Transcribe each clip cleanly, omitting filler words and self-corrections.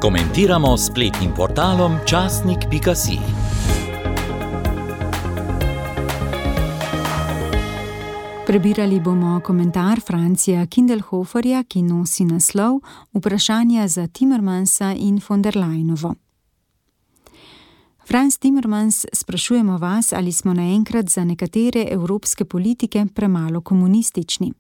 Komentiramo s spletnim portalom časnik.si. Prebirali bomo komentar Francija Kindelhoferja, ki nosi naslov Vprašanja za Timmermansa in von der Leyenovo. Franz Timmermans, sprašujemo vas, ali smo naenkrat za nekatere evropske politike premalo komunistični.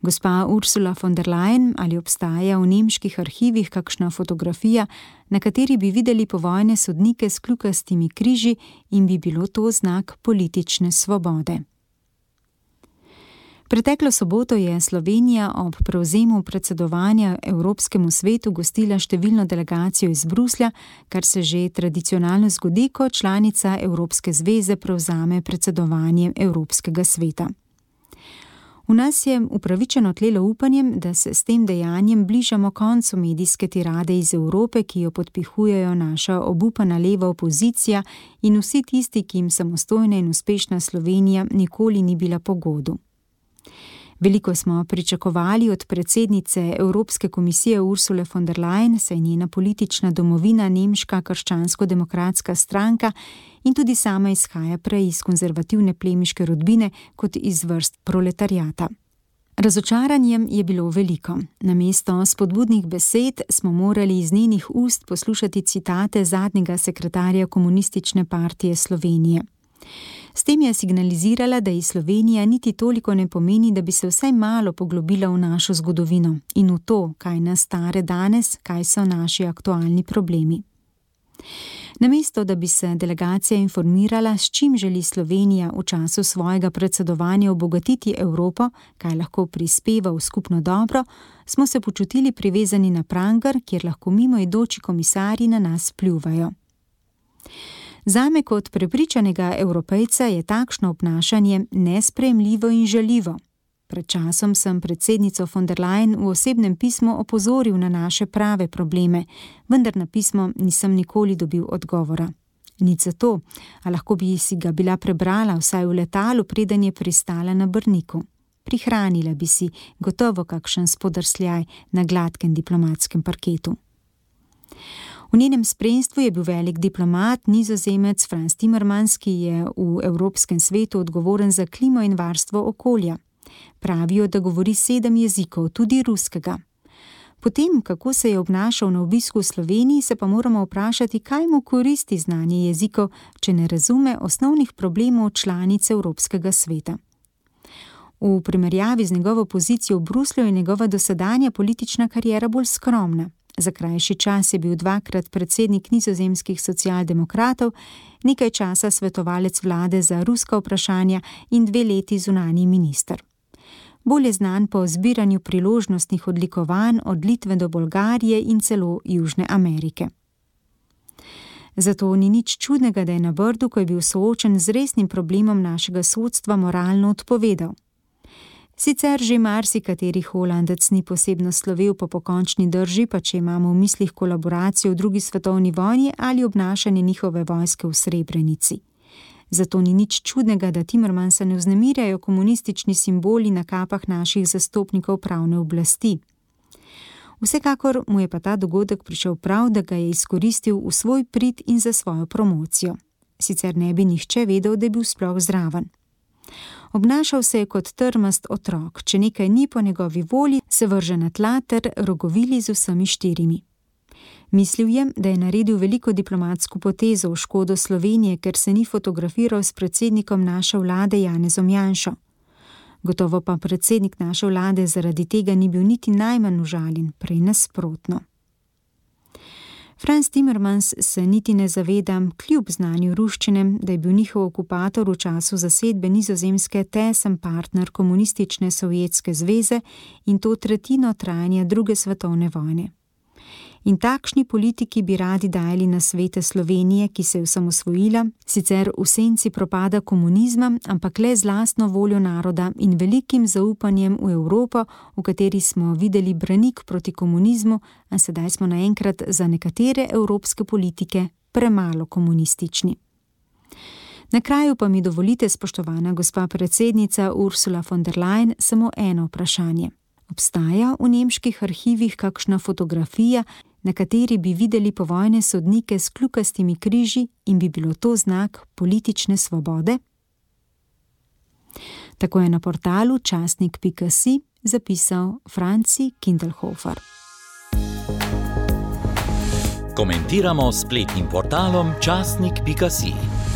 Gospa Ursula von der Leyen, ali obstaja v nemških arhivih kakšna fotografija, na kateri bi videli povojne sodnike s kljukastimi križi in bi bilo to znak politične svobode? Preteklo soboto je Slovenija ob prevzemu predsedovanja Evropskemu svetu gostila številno delegacijo iz Bruslja, kar se že tradicionalno zgodi, ko članica Evropske zveze prevzame predsedovanje Evropskega sveta. V nas je upravičeno tlelo upanjem, da se s tem dejanjem bližamo koncu medijske tirade iz Evrope, ki jo podpihujejo naša obupana leva opozicija in vsi tisti, ki jim samostojna in uspešna Slovenija nikoli ni bila po godu. Veliko smo pričakovali od predsednice Evropske komisije Ursule von der Leyen, saj njena politična domovina nemška krščansko-demokratska stranka in tudi sama izhaja prej iz konzervativne plemiške rodbine kot iz vrst proletariata. Razočaranjem je bilo veliko. Namesto spodbudnih besed smo morali iz njenih ust poslušati citate zadnjega sekretarja Komunistične partije Slovenije. S tem je signalizirala, da ji Slovenija niti toliko ne pomeni, da bi se vsaj malo poglobila v našo zgodovino in v to, kaj nas stare danes, kaj so naši aktualni problemi. Namesto, da bi se delegacija informirala, s čim želi Slovenija v času svojega predsedovanja obogatiti Evropo, kaj lahko prispeva v skupno dobro, smo se počutili privezani na prangar, kjer lahko mimoidoči komisarji na nas pljuvajo. Zame kot prepričanega Evropejca je takšno obnašanje nesprejemljivo in žaljivo. Pred časom sem predsednico von der Leyen v osebnem pismu opozoril na naše prave probleme, vendar na pismo nisem nikoli dobil odgovora. Nič zato, a lahko bi si ga bila prebrala vsaj v letalu, preden je pristala na Brniku. Prihranila bi si gotovo kakšen spodrsljaj na gladkem diplomatskem parketu. V njenem spremstvu je bil velik diplomat, Nizozemec Franz Timmermans, ki je v Evropskem svetu odgovoren za klimo in varstvo okolja. Pravijo, da govori 7 jezikov, tudi ruskega. Potem, kako se je obnašal na obisku v Sloveniji, se pa moramo vprašati, kaj mu koristi znanje jezikov, če ne razume osnovnih problemov članic Evropskega sveta. V primerjavi z njegovo pozicijo v Bruslju je njegova dosedanja politična kariera bolj skromna. Za krajši čas je bil 2-krat predsednik nizozemskih socialdemokratov, nekaj časa svetovalec vlade za ruska vprašanja in 2 leti zunanji minister. Bolj je znan po zbiranju priložnostnih odlikovanj od Litve do Bolgarije in celo Južne Amerike. Zato ni nič čudnega, da je na Brdu, ko je bil soočen z resnim problemom našega sodstva, moralno odpovedal. Sicer že marsikateri Holandec ni posebno slovel po pokončni drži, pa če imamo v mislih kolaboracijo v 2. svetovni vojni ali obnašanje njihove vojske v Srebrenici. Zato ni nič čudnega, da Timmermansa ne vznemirjajo komunistični simboli na kapah naših zastopnikov pravne oblasti. Vsekakor mu je pa ta dogodek prišel prav, da ga je izkoristil v svoj prid in za svojo promocijo. Sicer ne bi nihče vedel, da je bil sploh zraven. Obnašal se je kot trmast otrok, če nekaj ni po njegovi volji, se vrže na tla ter rogovili z vsemi 4. Mislil je, da je naredil veliko diplomatsko potezo v škodo Slovenije, ker se ni fotografiral s predsednikom naše vlade Janezom Janšo. Gotovo pa predsednik naše vlade zaradi tega ni bil niti najmanj užaljen, prej nasprotno. Franz Timmermans se niti ne zaveda, kljub znanju ruščine, da je bil njihov okupator v času zasedbe Nizozemske tesen partner komunistične Sovjetske zveze in to tretjino trajanja 2. svetovne vojne. In takšni politiki bi radi dajali nasvete Slovenije, ki se je osamosvojila, sicer v senci propada komunizma, ampak le z lastno voljo naroda in velikim zaupanjem v Evropo, v kateri smo videli branik proti komunizmu, a sedaj smo naenkrat za nekatere evropske politike premalo komunistični. Na kraju pa mi dovolite, spoštovana gospa predsednica Ursula von der Leyen, samo eno vprašanje. Obstaja v nemških arhivih kakšna fotografija, na kateri bi videli povojne sodnike s kljukastimi križi in bi bilo to znak politične svobode? Tako je na portalu časnik.si zapisal Franci Kindelhofer. Komentiramo s spletnim portalom časnik.si.